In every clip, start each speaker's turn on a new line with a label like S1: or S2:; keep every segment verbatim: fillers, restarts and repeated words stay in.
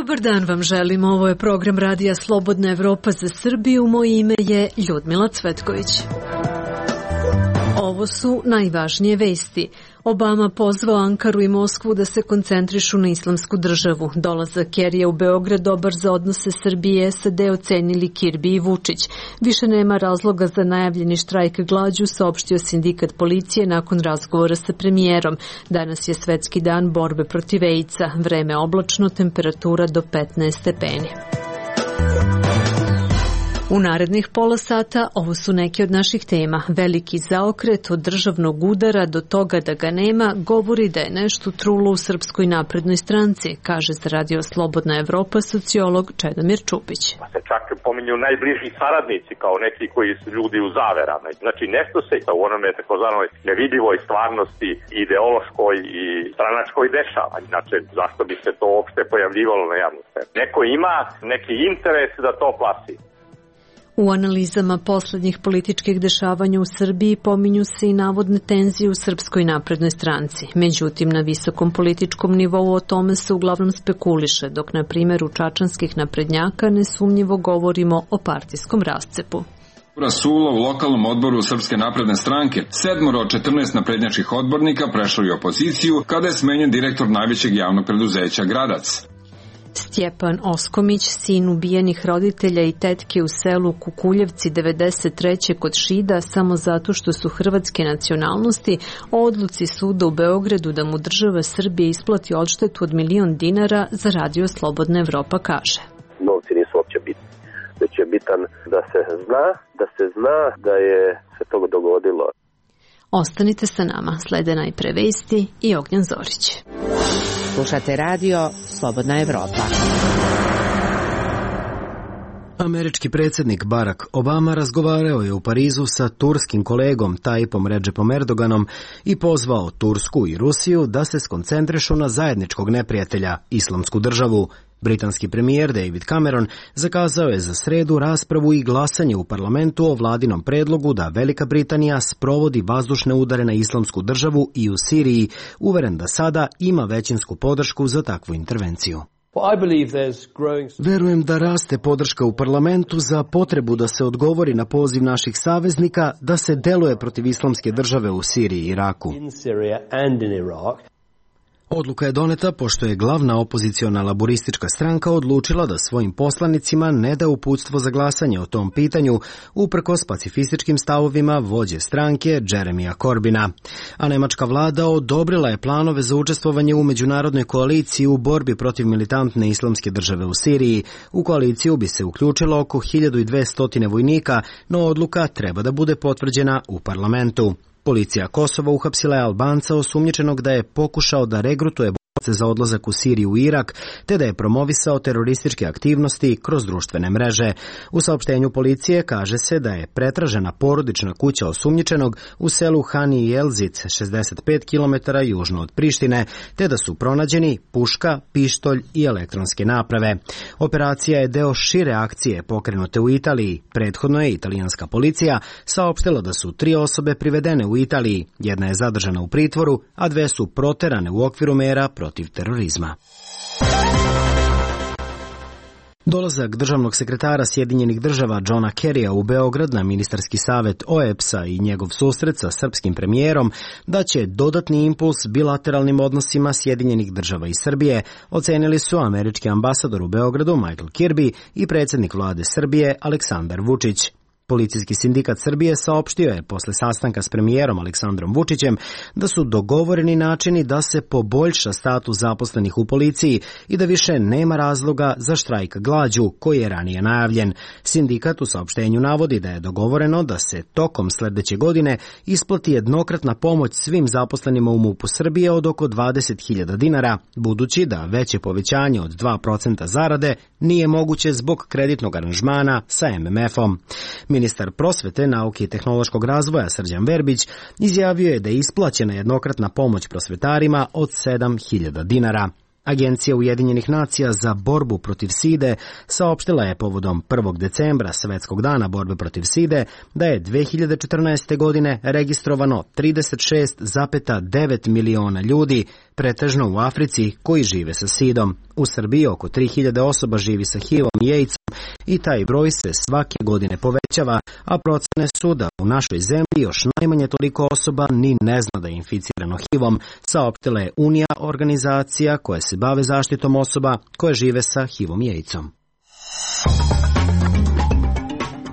S1: Dobar dan vam želim, ovo je program Radija Slobodna Evropa za Srbiju, moje ime je Ljudmila Cvetković. Ovo su najvažnije vesti. Obama pozvao Ankaru i Moskvu da se koncentrišu na islamsku državu. Dolazak Kerija u Beograd dobar za odnose Srbije i S A D ocenili Kirbi i Vučić. Više nema razloga za najavljeni štrajk glađu, saopštio sindikat policije nakon razgovora sa premijerom. Danas je svetski dan borbe protiv AIDS-a. Vreme oblačno, temperatura do petnaest stepeni. U narednih pola sata ovo su neke od naših tema. Veliki zaokret od državnog udara do toga da ga nema govori da je nešto trulo u Srpskoj naprednoj stranci, kaže za Radio Slobodna Evropa sociolog Čedomir Čupić.
S2: Pa se čak pominju najbliži saradnici kao neki koji su ljudi u zaverama. Znači nešto se u onome takozvanoj nevidljivoj stvarnosti ideološkoj i stranačkoj dešava. Znači zašto bi se to uopšte pojavljivalo na javnosti? Neko ima neki interes da to plasi.
S1: U analizama poslednjih političkih dešavanja u Srbiji pominju se i navodne tenzije u Srpskoj naprednoj stranci. Međutim, na visokom političkom nivou o tome se uglavnom spekuliše, dok na primjer u čačanskih naprednjaka nesumnjivo govorimo o partijskom rascepu.
S3: Rasulo u lokalnom odboru Srpske napredne stranke, sedmoro od četrnaest naprednjačkih odbornika prešlo je opoziciju kada je smenjen direktor najvećeg javnog preduzeća Gradac.
S1: Stjepan Oskomić, sin ubijenih roditelja i tetke u selu Kukuljevci devedeset treće kod Šida samo zato što su hrvatske nacionalnosti, o odluci suda u Beogradu da mu država Srbije isplati odštetu od milion dinara za Radio Slobodna Evropa kaže.
S4: Novci nisu uopće bitni, već je bitan da se zna, da se zna da je se toga dogodilo.
S1: Ostanite sa nama, slede najpre vesti i Ognjan Zorić.
S5: Slušate Radio Slobodna Evropa.
S6: Američki predsjednik Barack Obama razgovarao je u Parizu sa turskim kolegom Tayyipom Redžepom Erdoganom i pozvao Tursku i Rusiju da se skoncentrišu na zajedničkog neprijatelja, Islamsku državu. Britanski premijer David Cameron zakazao je za sredu raspravu i glasanje u parlamentu o vladinom predlogu da Velika Britanija sprovodi vazdušne udare na Islamsku državu i u Siriji, uveren da sada ima većinsku podršku za takvu intervenciju. Verujem da raste podrška u parlamentu za potrebu da se odgovori na poziv naših saveznika da se deluje protiv Islamske države u Siriji i Iraku. Odluka je doneta pošto je glavna opoziciona laboristička stranka odlučila da svojim poslanicima ne da uputstvo za glasanje o tom pitanju, uprkos pacifističkim stavovima vođe stranke Jeremija Corbina. A nemačka vlada odobrila je planove za učestvovanje u međunarodnoj koaliciji u borbi protiv militantne Islamske države u Siriji. U koaliciju bi se uključilo oko hiljadu dvesta vojnika, no odluka treba da bude potvrđena u parlamentu. Policija Kosova uhapsila je Albanca osumnjičenog da je pokušao da regrutuje borce za odlazak u Siriju i Irak, te da je promovisao terorističke aktivnosti kroz društvene mreže. U saopštenju policije kaže se da je pretražena porodična kuća osumnjičenog u selu Hani Jelzic, šezdeset pet kilometara južno od Prištine, te da su pronađeni puška, pištolj i elektronske naprave. Operacija je deo šire akcije pokrenute u Italiji. Prethodno je italijanska policija saopštila da su tri osobe privedene u Italiji. Jedna je zadržana u pritvoru, a dve su proterane u okviru mera protiv terorizma. Dolazak državnog sekretara Sjedinjenih država Johna Kerrya u Beograd na ministarski savet O E B S-a i njegov susret sa srpskim premijerom daće dodatni impuls bilateralnim odnosima Sjedinjenih država i Srbije, ocenili su američki ambasador u Beogradu Michael Kirby i predsjednik vlade Srbije Aleksandar Vučić. Policijski sindikat Srbije saopštio je posle sastanka s premijerom Aleksandrom Vučićem da su dogovoreni načini da se poboljša status zaposlenih u policiji i da više nema razloga za štrajk glađu koji je ranije najavljen. Sindikat u saopštenju navodi da je dogovoreno da se tokom sledeće godine isplati jednokratna pomoć svim zaposlenima u MUP-u Srbije od oko dvadeset hiljada dinara, budući da veće povećanje od dva procenta zarade nije moguće zbog kreditnog aranžmana sa M M F-om. Ministar prosvete, nauke i tehnološkog razvoja Srđan Verbić izjavio je da je isplaćena jednokratna pomoć prosvetarima od sedam hiljada dinara. Agencija Ujedinjenih nacija za borbu protiv side saopštila je povodom prvog decembra, Svetskog dana borbe protiv side, da je dve hiljade četrnaeste. godine registrovano trideset šest zarez devet miliona ljudi, pretežno u Africi, koji žive sa sidom. U Srbiji oko tri hiljade osoba živi sa H I V-om i AIDS-om i taj broj se svake godine povećava, a procene su da u našoj zemlji još najmanje toliko osoba ni ne zna da je inficirano H I V-om, saopštila je Unija, organizacija koja se bave zaštitom osoba koje žive sa H I V-om i AIDS-om.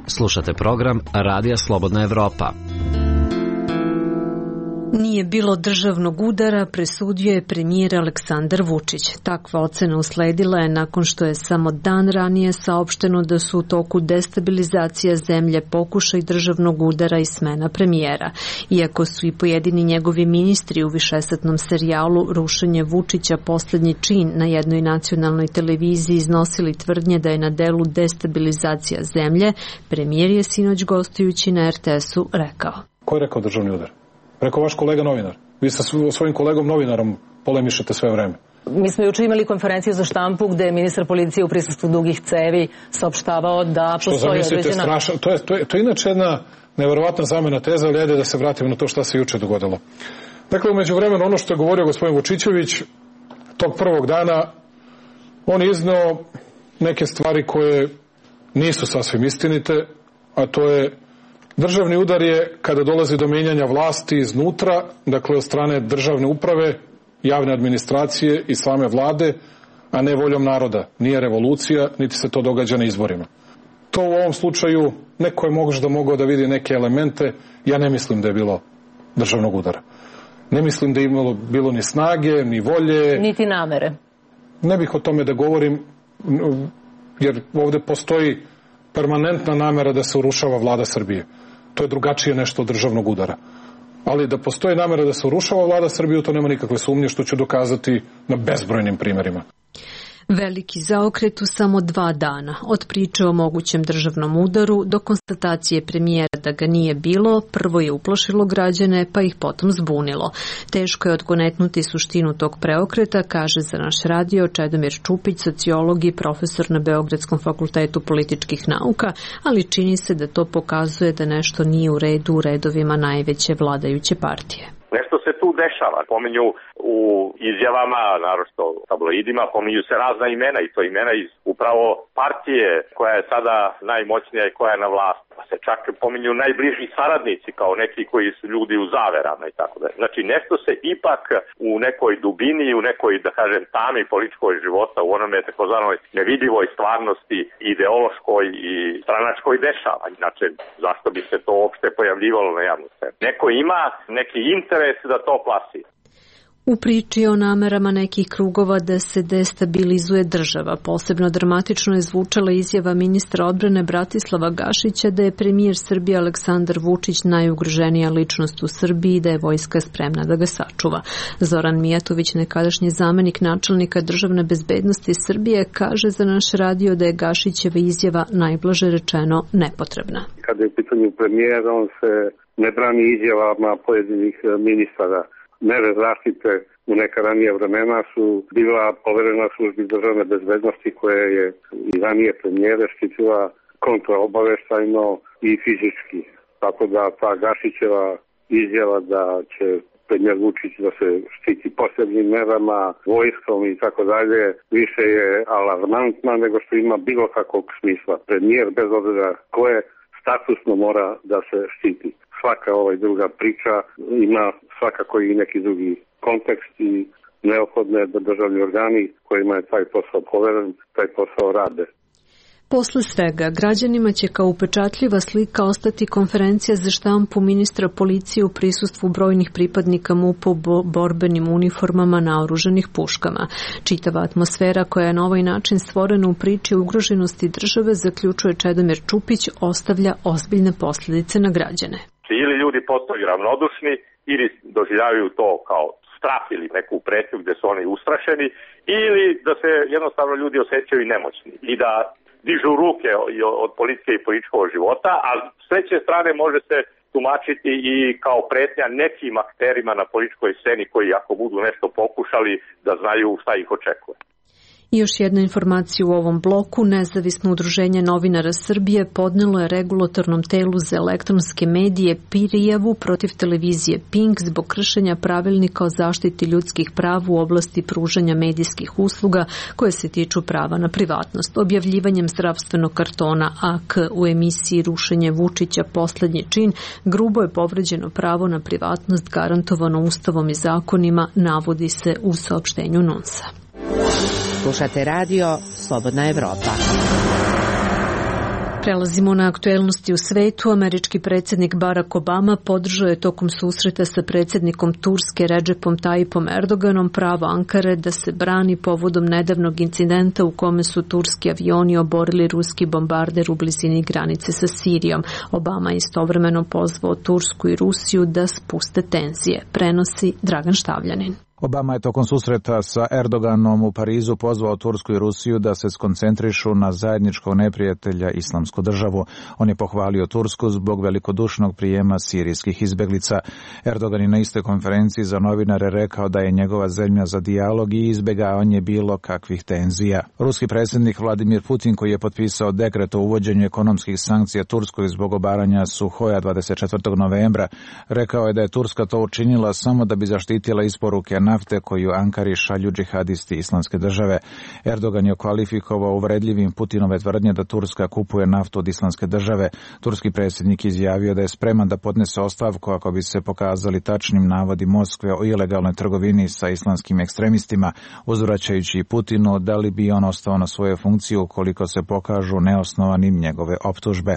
S7: Slušate program Radija Slobodna Evropa.
S1: Nije bilo državnog udara, presudio je premijer Aleksandar Vučić. Takva ocena usledila je nakon što je samo dan ranije saopšteno da su u toku destabilizacija zemlje, pokušaj državnog udara i smena premijera. Iako su i pojedini njegovi ministri u višesatnom serijalu Rušenje Vučića poslednji čin na jednoj nacionalnoj televiziji iznosili tvrdnje da je na delu destabilizacija zemlje, premijer je sinoć gostujući na R T S-u rekao.
S8: Ko je rekao državni udar? Rekao vaš kolega novinar. Vi sa svojim kolegom novinarom polemišete sve vreme.
S9: Mi smo juče imali konferenciju za štampu gde je ministar policije u prisustvu dugih cevi saopštavao da postoji određena...
S8: Strašno, to, je, to, je, to je inače jedna neverovatna zamena teza, ali ajde da se vratimo na to šta se juče dogodilo. Dakle, umeđu vremenu ono što je govorio gospodin Vučićević, tog prvog dana, on je izneo neke stvari koje nisu sasvim istinite, a to je državni udar je kada dolazi do menjanja vlasti iznutra, dakle od strane državne uprave, javne administracije i same vlade, a ne voljom naroda. Nije revolucija, niti se to događa na izborima. To u ovom slučaju neko je možda mogao da vidi neke elemente, ja ne mislim da je bilo državnog udara. Ne mislim da je imalo bilo ni snage, ni volje.
S9: Niti namere.
S8: Ne bih o tome da govorim, jer ovde postoji permanentna namera da se urušava vlada Srbije. To je drugačije nešto od državnog udara. Ali da postoji namera da se urušava vlada Srbije, to nema nikakve sumnje, što ću dokazati na bezbrojnim primjerima.
S1: Veliki zaokret u samo dva dana, od priče o mogućem državnom udaru do konstatacije premijera da ga nije bilo, prvo je uplašilo građane, pa ih potom zbunilo. Teško je odgonetnuti suštinu tog preokreta, kaže za naš radio Čedomir Čupić, sociolog i profesor na Beogradskom fakultetu političkih nauka, ali čini se da to pokazuje da nešto nije u redu u redovima najveće vladajuće partije.
S2: Nešto se tu dešava. Pominju u izjavama, naročito tabloidima, pominju se razna imena i to imena iz upravo partije koja je sada najmoćnija i koja je na vlasti. Pa se čak pominju najbliži saradnici kao neki koji su ljudi u zaverama i tako da. Znači nešto se ipak u nekoj dubini, u nekoj, da kažem, tami političkoj života, u onome takozvanoj nevidljivoj stvarnosti, ideološkoj i stranačkoj dešava. Inače, zašto bi se to uopšte pojavljivalo na javnu scenu? Neko ima neki interes da to plasira.
S1: U priči o namerama nekih krugova da se destabilizuje država, posebno dramatično je zvučala izjava ministra odbrane Bratislava Gašića da je premijer Srbije Aleksandar Vučić najugroženija ličnost u Srbiji i da je vojska spremna da ga sačuva. Zoran Mijatović, nekadašnji zamenik načelnika državne bezbednosti Srbije, kaže za naš radio da je Gašićeva izjava najblaže rečeno nepotrebna.
S4: Kada je u pitanju premijera, on se ne brani izjavama pojedinih ministara. Mere zaštite u neka ranije vremena su bila poverena službi državne bezbednosti koja je i ranije premijere štitila kontraobaveštajno i fizički. Tako da ta Gašićeva izjava da će premijer Vučić da se štiti posebnim merama, vojskom i tako dalje, više je alarmantna nego što ima bilo kakvog smisla. Premijer, bez obzira koje, statusno mora da se štiti. Svaka ovaj druga priča ima svakako i neki drugi kontekst i neophodno je da državni organi kojima je taj posao poveren, taj posao rade.
S1: Posle svega, građanima će kao upečatljiva slika ostati konferencija za štampu ministra policije u prisustvu brojnih pripadnika M U P-a u borbenim uniformama naoružanih puškama. Čitava atmosfera koja je na ovaj način stvorena u priči o ugroženosti države, zaključuje Čedomir Čupić, ostavlja ozbiljne posljedice na građane.
S2: Ili ljudi postaju ravnodušni ili doživljavaju to kao strah ili neku pretnju gde su oni ustrašeni, ili da se jednostavno ljudi osjećaju nemoćni i da dižu ruke od politike i političkog života, a s treće strane može se tumačiti i kao pretnja nekim akterima na političkoj sceni koji ako budu nešto pokušali da znaju šta ih očekuje.
S1: I još jedna informacija u ovom bloku. Nezavisno udruženje novinara Srbije podnelo je regulatornom telu za elektronske medije prijavu protiv televizije Pink zbog kršenja pravilnika o zaštiti ljudskih prava u oblasti pružanja medijskih usluga koje se tiču prava na privatnost. Objavljivanjem zdravstvenog kartona A K u emisiji Rušenje Vučića poslednji čin grubo je povređeno pravo na privatnost garantovano Ustavom i zakonima, navodi se u saopštenju N U N S-a.
S5: Slušate radio Slobodna Evropa.
S1: Prelazimo na aktuelnosti u svetu. Američki predsjednik Barack Obama podržao je tokom susreta sa predsjednikom Turske Redžepom Tayyipom Erdoganom pravo Ankare da se brani povodom nedavnog incidenta u kome su turski avioni oborili ruski bombarder u blizini granice sa Sirijom. Obama je istovremeno pozvao Tursku i Rusiju da spuste tenzije. Prenosi Dragan Štavljanin.
S10: Obama je tokom susreta sa Erdoganom u Parizu pozvao Tursku i Rusiju da se skoncentrišu na zajedničkog neprijatelja Islamsku državu. On je pohvalio Tursku zbog velikodušnog prijema sirijskih izbeglica. Erdogan je na istoj konferenciji za novinare rekao da je njegova zemlja za dijalog i izbjegavanje bilo kakvih tenzija. Ruski predsjednik Vladimir Putin, koji je potpisao dekret o uvođenju ekonomskih sankcija Turskoj zbog obaranja Suhoja dvadeset četvrtog novembra, rekao je da je Turska to učinila samo da bi zaštitila isporuke nafte koju Ankari šalju džihadisti Islamske države. Erdogan je kvalifikovao uvredljivim Putinove tvrdnje da Turska kupuje naftu od Islamske države. Turski predsjednik izjavio da je spreman da podnese ostavku ako bi se pokazali tačnim navodi Moskve o ilegalnoj trgovini sa islamskim ekstremistima, uzvraćajući Putinu da li bi on ostao na svojoj funkciji ukoliko se pokažu neosnovanim njegove optužbe.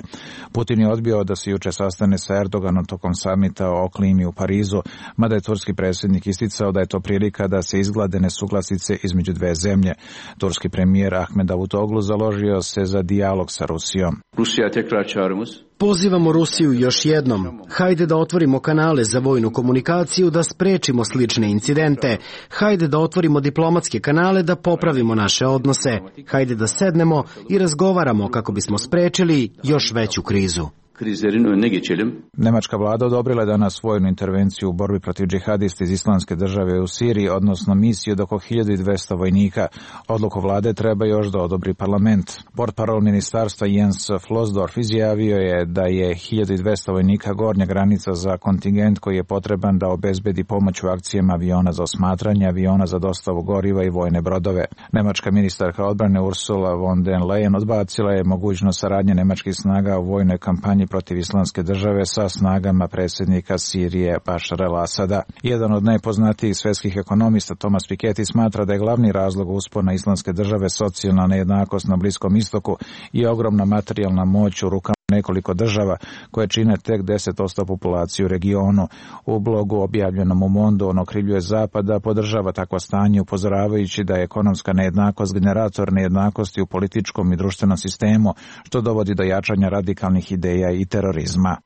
S10: Putin je odbio da se juče sastane sa Erdoganom tokom samita o klimi u Parizu, mada je turski predsjednik isticao da je to prilika da se izglade nesuglasice između dve zemlje. Turski premijer Ahmed Davutoglu založio se za dijalog sa Rusijom.
S11: Rusija tekrar çağrımız.
S6: Pozivamo Rusiju još jednom. Hajde da otvorimo kanale za vojnu komunikaciju, da sprečimo slične incidente. Hajde da otvorimo diplomatske kanale, da popravimo naše odnose. Hajde da sednemo i razgovaramo kako bismo sprečili još veću krizu.
S11: Krizlerin önüne geçelim.
S10: Nemačka vlada odobrila je danas vojnu intervenciju u borbi protiv džihadista iz Islamske države u Siriji, odnosno misiju od oko hiljadu dvesta vojnika. Odluku vlade treba još da odobri parlament. Portparol ministarstva Jens Flosdorf izjavio je da je hiljadu dvesta vojnika gornja granica za kontingent koji je potreban da obezbedi pomoć u akcijama aviona za osmatranje, aviona za dostavu goriva i vojne brodove. Nemačka ministarka odbrane Ursula von der Leyen odbacila je mogućnost saradnje nemačkih snaga u vojnoj kampanji protiv Islamske države sa snagama predsjednika Sirije Bašara el-Asada. Jedan od najpoznatijih svetskih ekonomista Thomas Piketty smatra da je glavni razlog uspona Islamske države socijalna nejednakost na Bliskom istoku i ogromna materijalna moć u rukama nekoliko država koje čine tek deset posto populacije u regionu. U blogu objavljenom u Mondu on okrivljuje Zapad da podržava takvo stanje, upozoravajući da je ekonomska nejednakost generator nejednakosti u političkom i društvenom sistemu, što dovodi do jačanja radikalnih ideja i terorizma.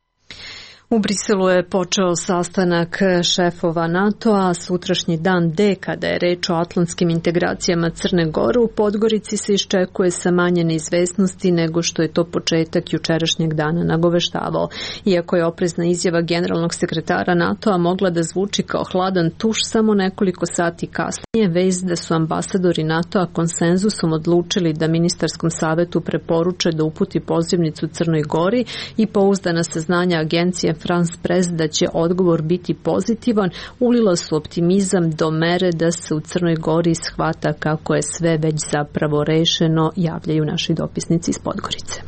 S1: U Briselu je počeo sastanak šefova NATO-a, sutrašnji dan D, kada je reč o atlantskim integracijama Crne Gore. U Podgorici se iščekuje sa manje neizvesnosti nego što je to početak jučerašnjeg dana nagoveštavao. Iako je oprezna izjava generalnog sekretara NATO-a mogla da zvuči kao hladan tuš, samo nekoliko sati kasnije vest da su ambasadori NATO-a konsenzusom odlučili da ministarskom savetu preporuče da uputi pozivnicu Crnoj Gori i pouzdana saznanja agencije France Press da će odgovor biti pozitivan, ulila su optimizam do mere da se u Crnoj Gori shvata kako je sve već zapravo rešeno, javljaju naši dopisnici iz Podgorice.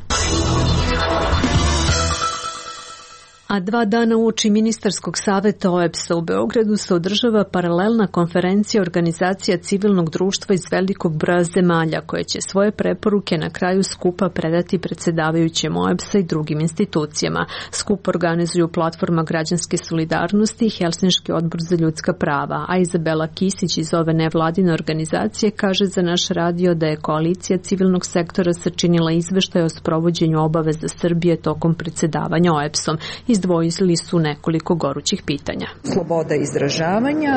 S1: A dva dana uoči ministarskog saveta O E B S-a u Beogradu se održava paralelna konferencija organizacija civilnog društva iz velikog broja zemalja koje će svoje preporuke na kraju skupa predati predsjedavajućem O E B S-a i drugim institucijama. Skup organizuju Platforma građanske solidarnosti i Helsinški odbor za ljudska prava, a Izabela Kisić iz ove nevladine organizacije kaže za naš radio da je koalicija civilnog sektora sačinila izveštaj o sprovođenju obaveza Srbije tokom predsjedavanja O E B S-om. Iz izdvojili su nekoliko gorućih pitanja.
S12: Sloboda izražavanja,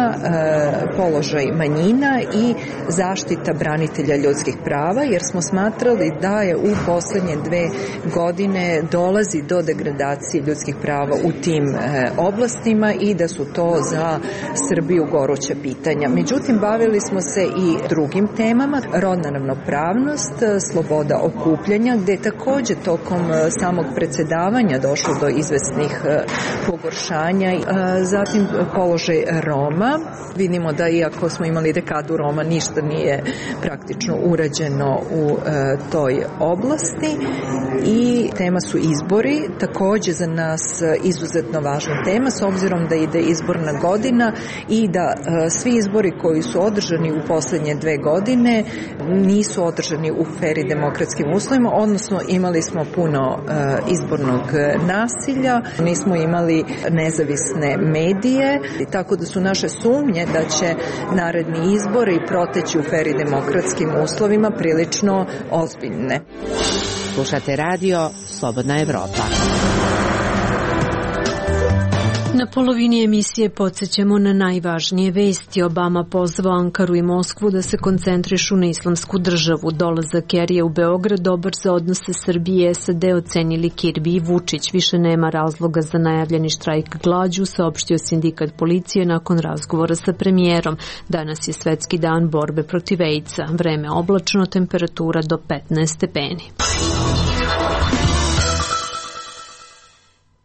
S12: položaj manjina i zaštita branitelja ljudskih prava, jer smo smatrali da je u poslednje dve godine dolazi do degradacije ljudskih prava u tim oblastima i da su to za Srbiju goruća pitanja. Međutim, bavili smo se i drugim temama, rodna ravnopravnost, sloboda okupljanja, gde je takođe tokom samog predsedavanja došlo do izvesnih pogoršanja. Zatim položaj Roma. Vidimo da iako smo imali dekadu Roma, ništa nije praktično urađeno u toj oblasti. I tema su izbori, takođe za nas izuzetno važna tema, s obzirom da ide izborna godina i da svi izbori koji su održani u poslednje dve godine nisu održani u fer i demokratskim uslovima, odnosno imali smo puno izbornog nasilja, nismo imali nezavisne medije, tako da su naše sumnje da će naredni izbori proteći u fer i demokratskim uslovima prilično ozbiljne.
S5: Slušate radio Slobodna Evropa.
S1: Na polovini emisije podsjećamo na najvažnije vesti. Obama pozvao Ankaru i Moskvu da se koncentrišu na islamsku državu. Dolazak Kerija u Beograd dobar za odnose Srbije i S A D ocenili Kirbi i Vučić. Više nema razloga za najavljeni štrajk glađu, saopštio sindikat policije nakon razgovora sa premijerom. Danas je svetski dan borbe protiv AIDS-a. Vreme oblačno, temperatura do petnaest stepeni.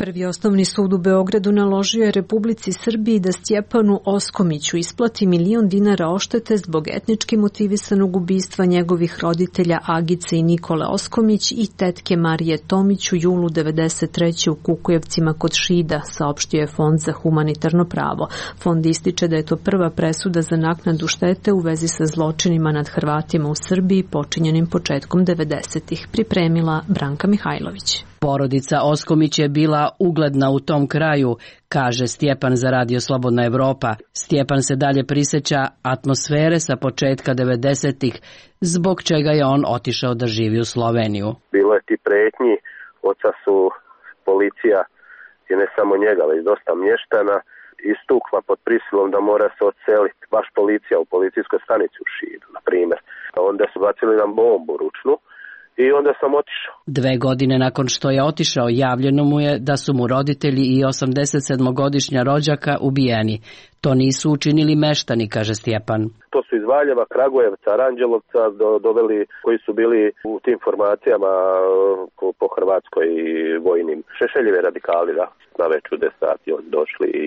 S1: Prvi osnovni sud u Beogradu naložio je Republici Srbiji da Stjepanu Oskomiću isplati milion dinara oštete zbog etnički motivisanog ubistva njegovih roditelja Agice i Nikole Oskomić i tetke Marije Tomić u julu devedeset treće u Kukujevcima kod Šida, saopštio je Fond za humanitarno pravo. Fond ističe da je to prva presuda za naknadu štete u vezi sa zločinima nad Hrvatima u Srbiji počinjenim početkom devedesetih. Pripremila Branka Mihajlović.
S13: Porodica Oskomić je bila ugledna u tom kraju, kaže Stjepan za Radio Slobodna Evropa. Stjepan se dalje prisjeća atmosfere sa početka devedesetih, zbog čega je on otišao da živi u Sloveniju.
S14: Bilo je ti pretnji, oca su policija i ne samo njega, već dosta mještana istukla pod prisilom da mora se odseliti. Baš policija u policijskoj stanici u Šidu, na primjer. Onda su bacili nam bombu ručnu. I onda sam otišao.
S13: Dve godine nakon što je otišao, javljeno mu je da su mu roditelji i osamdesetsedmogodišnja rođaka ubijeni. To nisu učinili meštani, kaže Stjepan.
S14: To su iz Valjeva, Kragujevca, Aranđelovca do, doveli koji su bili u tim formacijama po, po Hrvatskoj i vojnim. Šešeljevi radikali, da, na već u deset sati došli i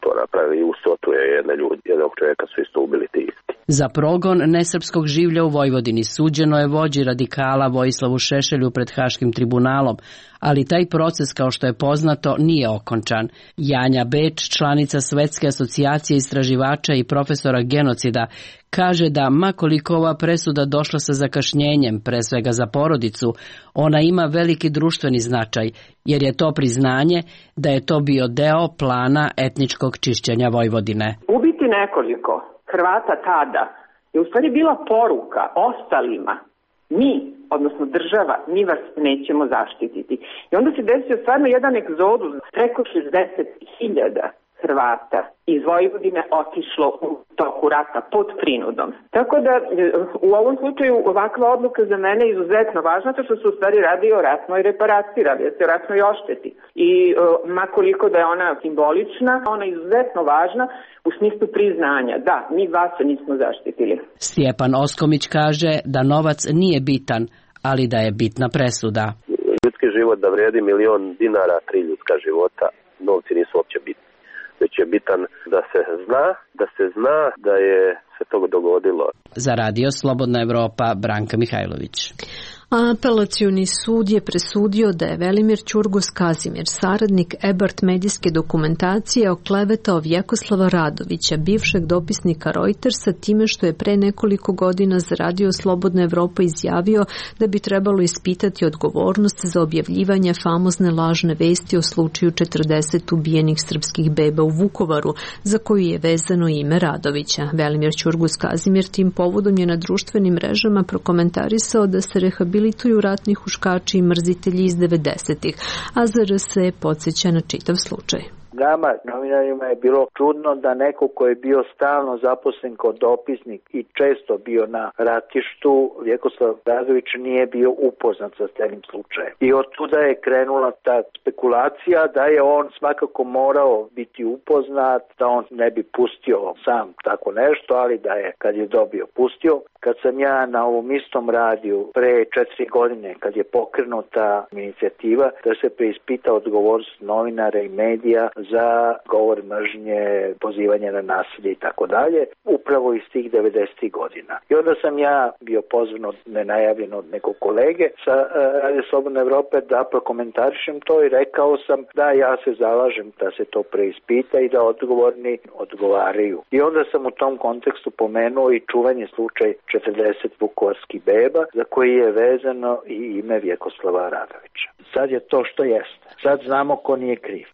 S14: to napravili i usotuje jedne ljudi, jednog čovjeka su isto ubili ti isti.
S13: Za progon nesrpskog življa u Vojvodini suđeno je vođi radikala Vojislavu Šešelju pred Haškim tribunalom, ali taj proces, kao što je poznato, nije okončan. Janja Beč, članica Svetske asocijacije istraživača i profesora genocida, kaže da makoliko ova presuda došla sa zakašnjenjem, pre svega za porodicu, ona ima veliki društveni značaj, jer je to priznanje da je to bio deo plana etničkog čišćenja Vojvodine.
S15: Ubiti nekoliko Hrvata tada je u stvari bila poruka ostalima. Mi, odnosno država, mi vas nećemo zaštititi. I onda se desio stvarno jedan egzodus, preko šezdeset hiljada Hrvata iz Vojvodine otišlo u toku rata pod prinudom. Tako da u ovom slučaju ovakva odluka za mene je izuzetno važna, to što se u stvari radi o ratnoj reparaciji, radi se o ratnoj ošteti. I makoliko da je ona simbolična, ona je izuzetno važna u smislu priznanja. Da, mi vas nismo zaštitili.
S13: Stjepan Oskomić kaže da novac nije bitan, ali da je bitna presuda.
S14: Ljudski život da vredi milion dinara, tri ljudska života, novci nisu uopće bitni. Već je bitan da se zna, da se zna da je se to dogodilo.
S13: Za Radio Slobodna Evropa, Branka Mihajlović.
S1: Apelacioni sud je presudio da je Velimir Ćurgus Kazimir, saradnik Ebert medijske dokumentacije, oklevetao Vjekoslava Radovića, bivšeg dopisnika Reutersa, time što je pre nekoliko godina za Radio Slobodna Evropa izjavio da bi trebalo ispitati odgovornost za objavljivanje famozne lažne vesti o slučaju četrdeset ubijenih srpskih beba u Vukovaru, za koju je vezano ime Radovića. Velimir Ćurgus Kazimir tim povodom je na društvenim mrežama prokomentarisao da se rehabilitacija rehabilituju ratni huškači i mrzitelji iz devedesetih, a Z R S podsjeća na čitav slučaj.
S16: Nama, novinarima, je bilo čudno da neko ko je bio stalno zaposlen kao dopisnik i često bio na ratištu, Vjekoslav Radović nije bio upoznat sa celim slučajem. I od tuda je krenula ta spekulacija da je on svakako morao biti upoznat, da on ne bi pustio sam tako nešto, ali da je, kad je dobio, pustio. Kad sam ja na ovom istom radiju pre četiri godine, kad je pokrenuta inicijativa da se preispita odgovornost novinara i medija za govor mržnje, pozivanje na nasilje i tako dalje, upravo iz tih devedesetih godina. I onda sam ja bio pozvan od nenajavljeno od nekog kolege sa Radio Slobodne Evrope da prokomentarišem to i rekao sam da ja se zalažem da se to preispita i da odgovorni odgovaraju. I onda sam u tom kontekstu pomenuo i čuveni slučaj četrdeset vukovarskih beba za koji je vezano i ime Vjekoslava Radovića. Sad je to što jeste. Sad znamo ko nije kriv.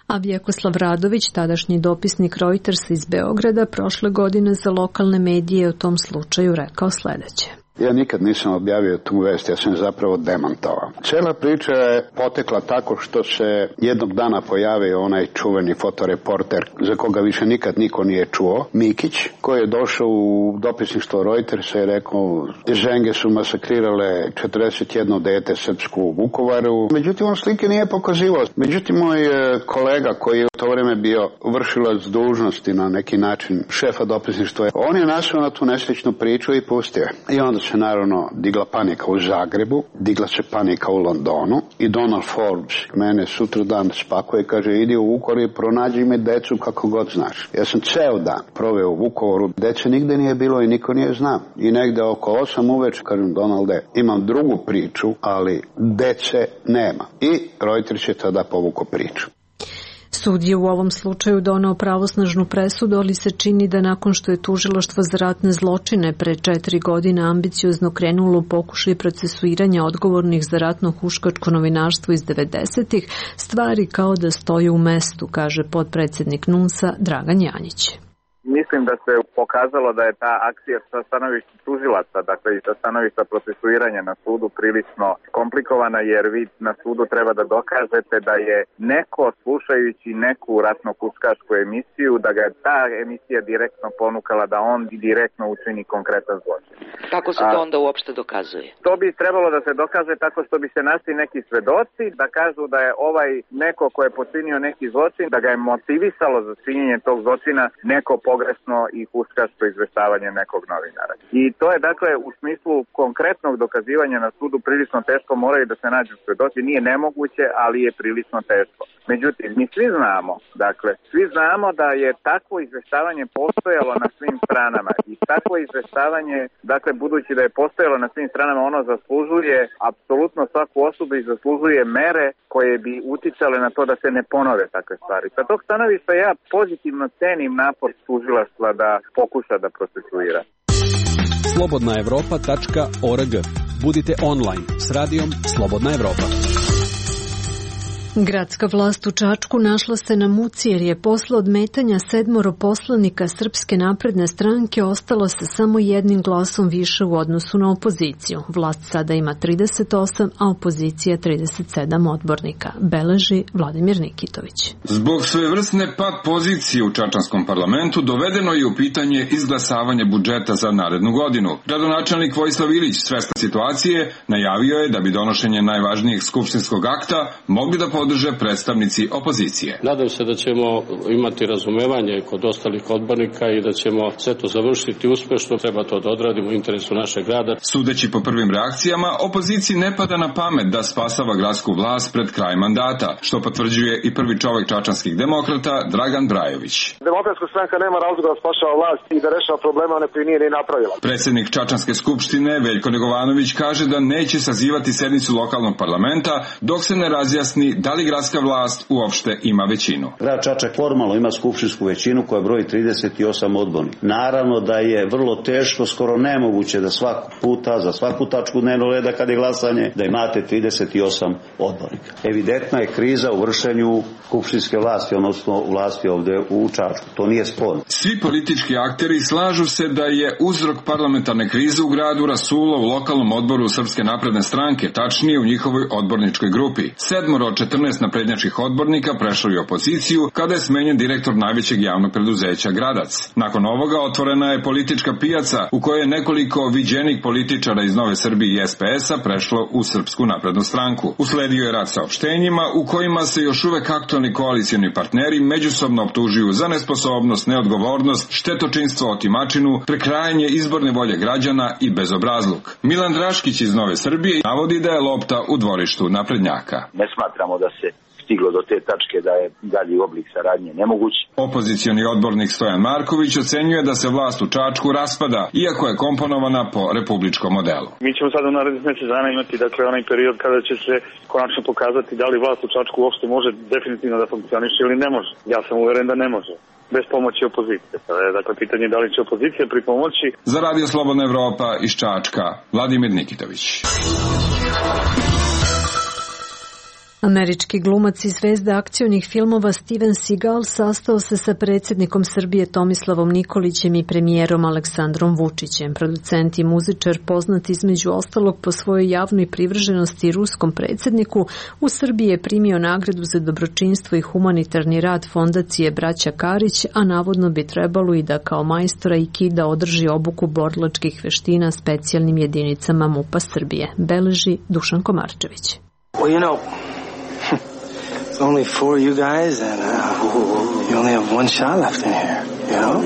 S1: A Vjekoslav Radović, tadašnji dopisnik Reutersa iz Beograda, prošle godine za lokalne medije o tom slučaju rekao sledeće.
S17: Ja nikad nisam objavio tu vest, ja sam zapravo demantovao. Cela priča je potekla tako što se jednog dana pojavio onaj čuveni fotoreporter za koga više nikad niko nije čuo, Mikić, koji je došao u dopisništvo Reutersa i rekao ženge su masakrirale četrdeset jedno dete srpsku u Vukovaru. Međutim, on slike nije pokazivao. Međutim, moj kolega koji je u to vreme bio vršilac dužnosti na neki način šefa dopisništva, on je nasao na tu nesrećnu priču i pustio. I onda se naravno digla panika u Zagrebu, digla se panika u Londonu i Donald Forbes mene sutra dan spakuje i kaže idi u Vukovar i pronađi me decu kako god znaš. Ja sam ceo dan proveo u Vukovaru, dece nigde nije bilo i niko nije znao. I negde oko osam uveče kažem Donalde, imam drugu priču, ali dece nema. I Reuters je tada povukao priču.
S1: Sud je u ovom slučaju doneo pravosnažnu presudu, ali se čini da nakon što je tužilaštvo za ratne zločine pre četiri godine ambiciozno krenulo u pokušaj procesuiranja odgovornih za ratno huškačko novinarstvo iz devedesetih, stvari kao da stoje u mestu, kaže potpredsednik N U N S-a Dragan Janjić.
S18: Mislim da se pokazalo da je ta akcija sa stanovišta tužilaca, dakle i sa stanovišta procesuiranja na sudu prilično komplikovana, jer vi na sudu treba da dokažete da je neko slušajući neku ratno-huškačku emisiju, da ga je ta emisija direktno ponukala da on direktno učini konkretan zločin.
S19: Kako se to onda uopšte dokazuje?
S18: To bi trebalo da se dokaže tako što bi se našli neki svedoci da kažu da je ovaj neko ko je počinio neki zločin, da ga je motivisalo za činjenje tog zločina neko pogrešno i huškačko izveštavanje nekog novinara. I to je dakle u smislu konkretnog dokazivanja na sudu prilično teško, moraju da se nađu svedoci, nije nemoguće, ali je prilično teško. Međutim, mi svi znamo, dakle, svi znamo da je takvo izveštavanje postojalo na svim stranama i takvo izveštavanje, dakle, budući da je postojalo na svim stranama, ono zaslužuje apsolutno svaku osobu i zaslužuje mere koje bi uticale na to da se ne ponove takve stvari. Sa tog stanovišta ja pozitivno cenim napor tužilaštva da pokuša da procesuira.
S20: slobodna evropa tačka org. Budite online s radijom Slobodna Evropa.
S1: Gradska vlast u Čačku našla se na muci jer je posle odmetanja sedmoro poslanika Srpske napredne stranke ostalo se samo jednim glasom više u odnosu na opoziciju. Vlast sada ima trideset osam, a opozicija trideset sedam odbornika, beleži Vladimir Nikitović.
S3: Zbog svojevrsne pad pozicije u čačanskom parlamentu dovedeno je u pitanje izglasavanje budžeta za narednu godinu. Gradonačelnik Vojislav Ilić, svestan situacije, najavio je da bi donošenje najvažnijeg skupštinskog akta mogli da podrže predstavnici opozicije.
S21: Nadam se da ćemo imati razumevanje kod ostalih odbornika i da ćemo sve to završiti uspešno. Treba to da odradimo u interesu našeg grada.
S3: Sudeći po prvim reakcijama, opoziciji ne pada na pamet da spasava gradsku vlast pred kraj mandata, što potvrđuje i prvi čovek čačanskih demokrata Dragan Brajović.
S22: Demokratska stranka nema razloga da spašava vlast i da rešava probleme one koje nije ni napravila.
S3: Predsednik Čačanske skupštine Veljko Negovanović kaže da neće sazivati sednicu lokalnog parlamenta dok se ne razjasni da li gradska vlast uopšte ima većinu.
S7: Grad Čačak formalno ima skupštinsku većinu koja broji trideset osam odbornika. Naravno da je vrlo teško, skoro nemoguće da svakog puta, za svaku tačku dnevnog reda kad je glasanje, da imate trideset osam odbornika. Evidentna je kriza u vršenju skupštinske vlasti, odnosno vlasti ovde u Čačku. To nije sporno.
S3: Svi politički akteri slažu se da je uzrok parlamentarne krize u gradu rasulo u lokalnom odboru Srpske napredne stranke, tačnije u njihovoj odborničkoj grupi. Sedmoro od četrnaest naprednjačkih odbornika prešlo je opoziciju kada je smenjen direktor najvećeg javnog preduzeća Gradac. Nakon ovoga otvorena je politička pijaca u kojoj je nekoliko viđenih političara iz Nove Srbije i S P S-a prešlo u Srpsku naprednu stranku. Usledio je rad saopštenjima u kojima se još uvek aktualni koalicioni partneri međusobno optužuju za nesposobnost, neodgovornost, štetočinstvo, otimačinu, prekrajanje izborne volje građana i bezobrazluk. Milan Draškić iz Nove Srbije navodi da je lopta u dvorištu naprednjaka.
S9: Ne smatramo da se stiglo do te tačke da je dalji oblik saradnje nemoguć.
S3: Opozicioni odbornik Stojan Marković ocenjuje da se vlast u Čačku raspada, iako je komponovana po republičkom modelu.
S23: Mi ćemo sad u narednih mjesec dana imati dakle onaj period kada će se konačno pokazati da li vlast u Čačku uopšte može definitivno da funkcioniše ili ne može. Ja sam uveren da ne može. Bez pomoći opozicije. Dakle, pitanje da li će opozicija pri pomoći.
S3: Za Radio Slobodna Evropa iz Čačka, Vladimir Nikitović.
S1: Američki glumac i zvezda akcionih filmova Steven Seagal sastao se sa predsjednikom Srbije Tomislavom Nikolićem i premijerom Aleksandrom Vučićem. Producent i muzičar, poznat između ostalog po svojoj javnoj privrženosti ruskom predsjedniku, u Srbiji je primio nagradu za dobročinstvo i humanitarni rad fondacije Braća Karić, a navodno bi trebalo i da kao majstora aikida održi obuku borilačkih veština specijalnim jedinicama MUP-a Srbije, beleži Dušan Komarčević.
S24: Well, you know, it's only four of you guys, and uh, you only have one shot left in here, you know?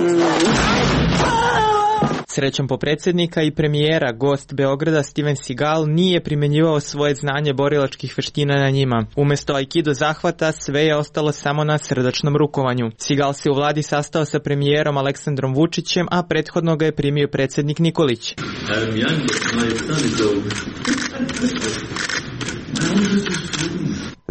S25: Srećom po predsjednika i premijera, gost Beograda Steven Seagal nije primjenjivao svoje znanje borilačkih veština na njima. Umesto aikido zahvata, sve je ostalo samo na srdačnom rukovanju. Seagal se u vladi sastao sa premijerom Aleksandrom Vučićem, a prethodno ga je primio predsjednik Nikolić.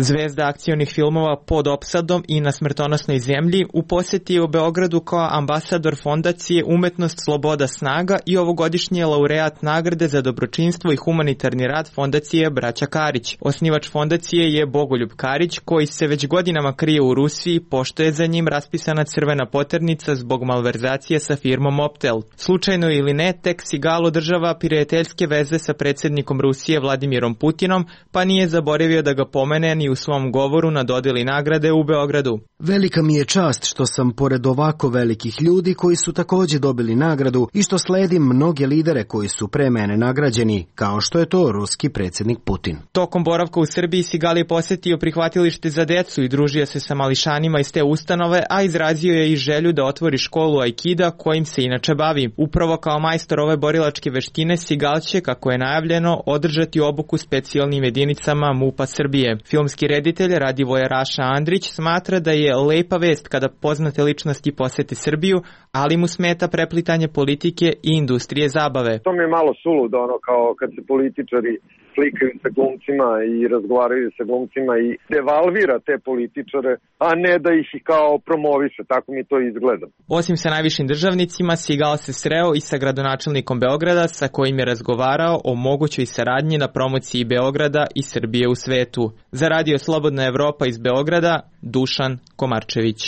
S25: Zvezda akcionih filmova Pod opsadom i Na smrtonosnoj zemlji u posjeti je u Beogradu kao ambasador fondacije Umetnost, sloboda, snaga i ovogodišnji je laureat nagrade za dobročinstvo i humanitarni rad fondacije Braća Karić. Osnivač fondacije je Bogoljub Karić, koji se već godinama krije u Rusiji, pošto je za njim raspisana crvena poternica zbog malverzacije sa firmom Optel. Slučajno ili ne, tek Seagal održava prijateljske veze sa predsjednikom Rusije Vladimirom Putinom, pa nije zaboravio da ga pomene ni u svom govoru na dodjeli nagrade u Beogradu.
S6: Velika mi je čast što sam pored ovako velikih ljudi koji su također dobili nagradu i što sledim mnoge lidere koji su pre mene nagrađeni, kao što je to ruski predsjednik Putin.
S25: Tokom boravka u Srbiji Seagal je posjetio prihvatilište za decu i družio se sa mališanima iz te ustanove, a izrazio je i želju da otvori školu aikida kojim se inače bavi. Upravo kao majstor ove borilačke veštine Seagal će, kako je najavljeno, održati obuku specijalnim jedinicama MUP-a Srbije. Filmski reditelj Radivoje Raša Andrić smatra da je lepa vest kada poznate ličnosti posete Srbiju, ali mu smeta preplitanje politike i industrije zabave.
S22: To mi je malo suludo, ono kao kad se političari slikaju sa glumcima i razgovaraju sa glumcima i devalvira te političare, a ne da ih kao promoviše, tako mi to izgleda.
S25: Osim sa najvišim državnicima, Seagal se sreo i sa gradonačelnikom Beograda, sa kojim je razgovarao o mogućoj saradnji na promociji Beograda i Srbije u svetu. Za Radio Slobodna Evropa iz Beograda, Dušan Komarčević.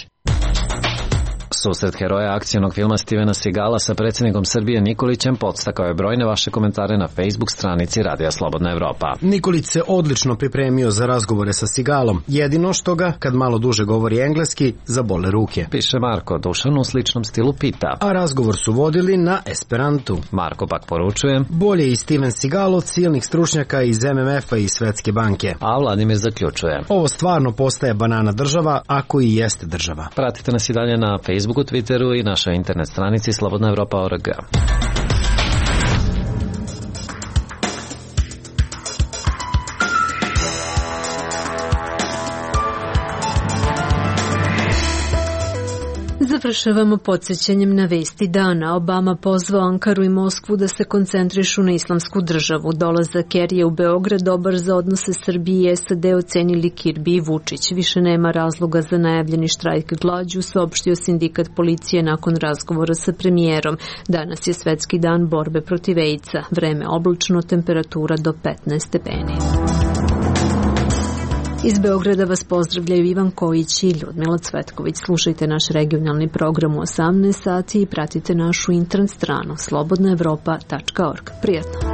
S26: Susret heroja akcionog filma Stevena Seagala sa predsjednikom Srbije Nikolićem podstakao je brojne vaše komentare na Facebook stranici Radija Slobodna Evropa.
S6: Nikolić se odlično pripremio za razgovore sa Seagalom, jedino što ga, kad malo duže govori engleski, zabole ruke.
S26: Piše Marko, Dušan u sličnom stilu pita.
S6: A razgovor su vodili na esperantu.
S26: Marko pak poručuje.
S6: Bolje i Steven Seagal od silnih stručnjaka iz M M F-a i Svetske banke.
S26: A Vladimir zaključuje.
S6: Ovo stvarno postaje banana država, ako i jeste država.
S26: Pratite nas i dalje na Facebooku, Twitteru i našoj internet stranici slobodna evropa tačka org.
S1: Za Završavamo podsjećanjem na vesti dana. Obama pozvao Ankaru i Moskvu da se koncentrišu na islamsku državu. Dolazak Kerija u Beograd dobar za odnose Srbije i S A D ocenili Kirbi i Vučić. Više nema razloga za najavljeni štrajk glađu, saopštio sindikat policije nakon razgovora sa premijerom. Danas je svetski dan borbe protiv AIDS-a. Vreme oblačno, temperatura do petnaest stepeni. Iz Beograda vas pozdravljaju Ivan Kojić i Ljudmila Cvetković. Slušajte naš regionalni program u osamnaest sati i pratite našu internet stranu slobodna evropa tačka org. Prijatno!